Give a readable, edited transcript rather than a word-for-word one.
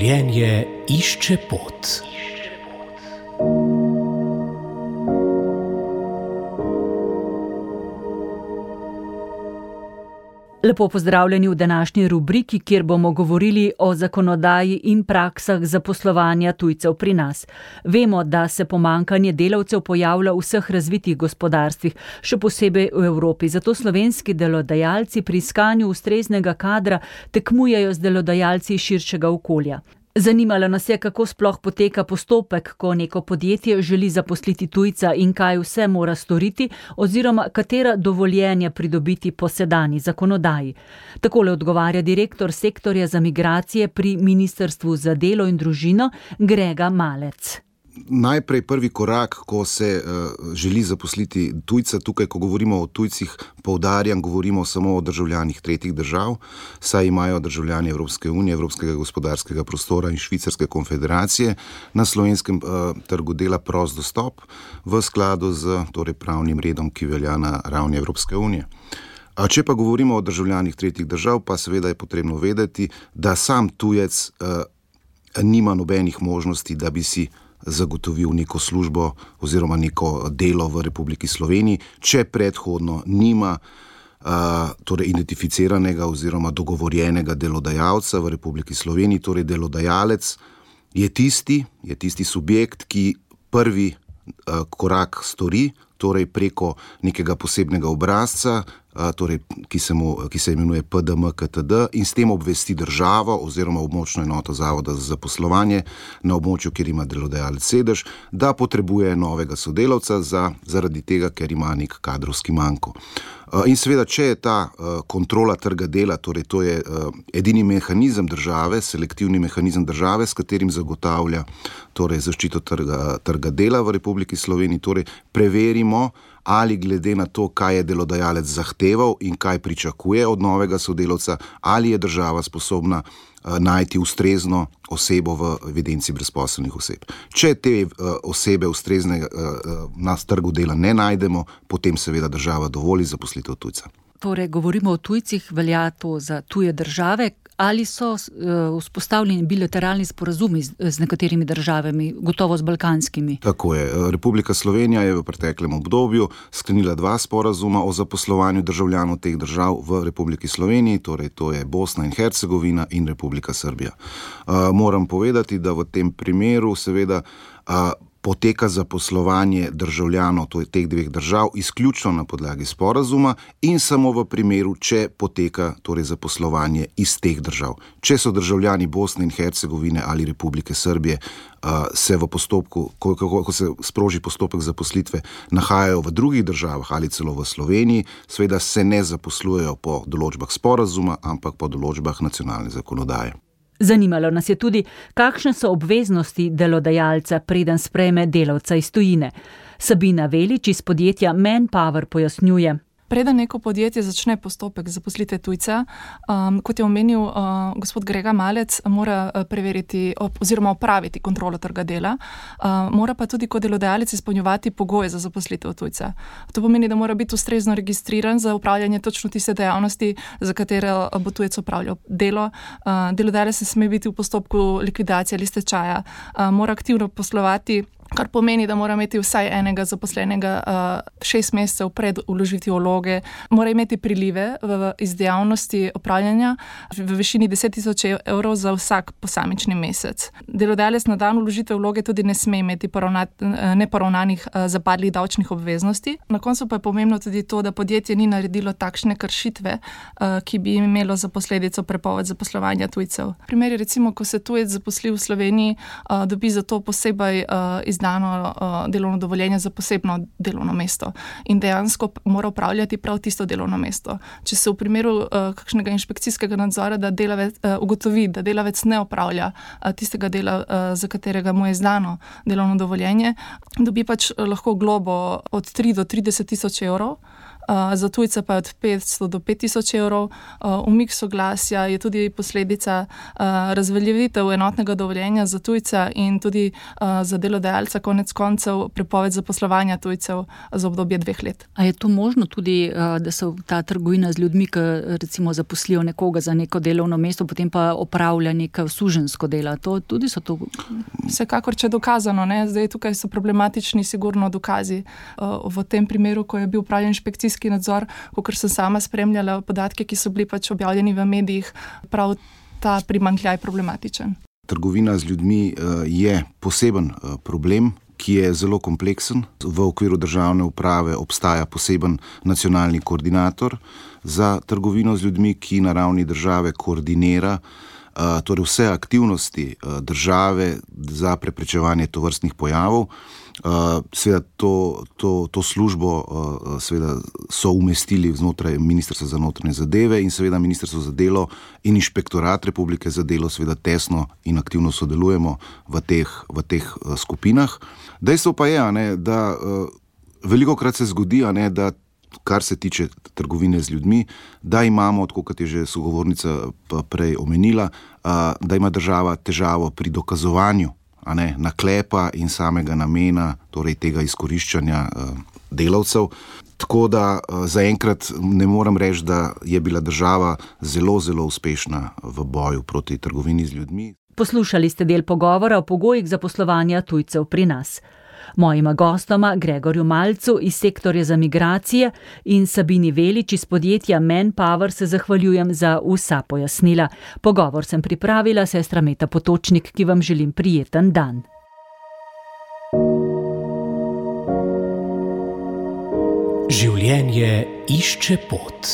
Življenje išče pot. Lepo pozdravljeni v današnji rubriki, kjer bomo govorili o zakonodaji in praksah zaposlovanja tujcev pri nas. Vemo, da se pomanjkanje delavcev pojavlja v vseh razvitih gospodarstvih, še posebej v Evropi. Zato slovenski delodajalci pri iskanju ustreznega kadra tekmujejo z delodajalci iz širšega okolja. Zanimalo nas je, kako sploh poteka postopek, ko neko podjetje želi zaposliti tujca in kaj vse mora storiti oziroma katera dovoljenja pridobiti po sedanji zakonodaji. Takole odgovarja direktor sektorja za migracije pri Ministrstvu za delo in družino Grega Malec. Najprej prvi korak, ko se želi zaposliti tujca, tukaj, ko govorimo o tujcih, poudarjam, govorimo samo o državljanih tretjih držav, saj imajo državljani Evropske unije, Evropskega gospodarskega prostora in Švicarske konfederacije na slovenskem trgu dela prost dostop v skladu z pravnim redom, ki velja na ravni Evropske unije. Če pa govorimo o državljanih tretjih držav, pa seveda je potrebno vedeti, da sam tujec nima nobenih možnosti, da bi si zagotovil neko službo oziroma neko delo v Republiki Sloveniji, če predhodno nima identificiranega oziroma dogovorjenega delodajalca v Republiki Sloveniji. Torej delodajalec je tisti subjekt, ki prvi korak stori, torej preko nekega posebnega obrazca, ki se imenuje PDM-KTD, in s tem obvesti državo oziroma območno enoto Zavoda za zaposlovanje na območju, kjer ima delodajalec sedež, da potrebuje novega sodelavca zaradi tega, ker ima nek kadrovski manko. In seveda, če je ta kontrola trga dela, torej to je edini mehanizem države, selektivni mehanizem države, s katerim zagotavlja zaščito trga dela v Republiki Sloveniji, torej preverimo, ali glede na to, kaj je delodajalec zahteval in kaj pričakuje od novega sodelavca, ali je država sposobna najti ustrezno osebo v evidenci brezposelnih oseb. Če te osebe ustrezne na trgu dela ne najdemo, potem seveda država dovoli zaposlitev tujca. Torej, govorimo o tujcih, velja to za tuje države. Ali so vzpostavljeni bilateralni sporazumi z nekaterimi državami, gotovo z balkanskimi? Tako je. Republika Slovenija je v preteklem obdobju sklenila 2 sporazuma o zaposlovanju državljanov teh držav v Republiki Sloveniji, torej to je Bosna in Hercegovina in Republika Srbija. Moram povedati, da v tem primeru seveda poteka zaposlovanje državljanov teh 2 držav izključno na podlagi sporazuma in samo v primeru, če poteka zaposlovanje iz teh držav. Če so državljani Bosne in Hercegovine ali Republike Srbije se v postopku, ko se sproži postopek zaposlitve, nahajajo v drugih državah ali celo v Sloveniji, seveda se ne zaposlujejo po določbah sporazuma, ampak po določbah nacionalne zakonodaje. Zanimalo nas je tudi, kakšne so obveznosti delodajalca, preden sprejme delavca iz tujine. Sabina Velič iz podjetja Manpower pojasnjuje. Preden neko podjetje začne postopek zaposlitve tujca, kot je omenil gospod Grega Malec, mora preveriti oziroma opraviti kontrolo trga dela, mora pa tudi kot delodajalec izpolnjevati pogoje za zaposlitev tujca. To pomeni, da mora biti ustrezno registriran za upravljanje točno tiste dejavnosti, za katere bo tujec opravljal delo. Delodajalec ne sme biti v postopku likvidacije ali stečaja, mora aktivno poslovati, kar pomeni, da mora imeti vsaj enega zaposlenega 6 mesecev pred vložitvijo vloge, mora imeti prilive iz dejavnosti opravljanja v višini 10.000 evrov za vsak posamični mesec. Delodajalec na dan vložitve vloge tudi ne sme imeti neporavnanih zapadlih davčnih obveznosti. Na koncu pa je pomembno tudi to, da podjetje ni naredilo takšne kršitve, ki bi imelo za posledico prepoved zaposlovanja tujcev. Primer je recimo, ko se tujec zaposli v Sloveniji, dobi za to posebej izdano delovno dovoljenje za posebno delovno mesto in dejansko mora upravljati prav tisto delovno mesto. Če se v primeru kakšnega inšpekcijskega nadzora ugotovi, da delavec ne opravlja tistega dela, za katerega mu je izdano delovno dovoljenje, dobi lahko globo od 3 do 30.000 evrov za tujca pa je od 500 do 5000 evrov. Umik soglasja je tudi posledica razveljavitev enotnega dovoljenja za tujca in tudi za delodajalca konec koncev prepoved zaposlovanja tujcev za obdobje 2 let. A je to možno tudi, da so ta trgovina z ljudmi, ki recimo zaposlijo nekoga za neko delovno mesto, potem pa opravlja neko suženjsko delo? To tudi so to? Vsekakor, če je dokazano, ne? Zdaj tukaj so problematični sigurno dokazi. V tem primeru, ko je bil upravljen inšpekcijski nadzor, kakor sem sama spremljala podatke, ki so bili pač objavljeni v medijih, prav ta primanjkljaj problematičen. Trgovina z ljudmi je poseben problem, ki je zelo kompleksen. V okviru državne uprave obstaja poseben nacionalni koordinator za trgovino z ljudmi, ki na ravni države koordinira torej vse aktivnosti države za preprečevanje tovrstnih pojavov. Seveda to službo seveda so umestili znotraj Ministrstva za notranje zadeve in seveda Ministrstvo za delo in Inšpektorat Republike za delo seveda tesno in aktivno sodelujemo v teh skupinah. Dejstvo pa je, da velikokrat se zgodi, da kar se tiče trgovine z ljudmi, da imamo, tako kot je že sogovornica prej omenila, da ima država težavo pri dokazovanju naklepa in samega namena, torej tega izkoriščanja delavcev. Tako da zaenkrat ne morem reči, da je bila država zelo, zelo uspešna v boju proti trgovini z ljudmi. Poslušali ste del pogovora o pogojih zaposlovanja tujcev pri nas. Mojima gostoma, Gregorju Malcu iz sektorja za migracije in Sabini Velič iz podjetja Manpower, se zahvaljujem za vsa pojasnila. Pogovor sem pripravila sestra Meta Potočnik, ki vam želim prijeten dan. Življenje išče pot.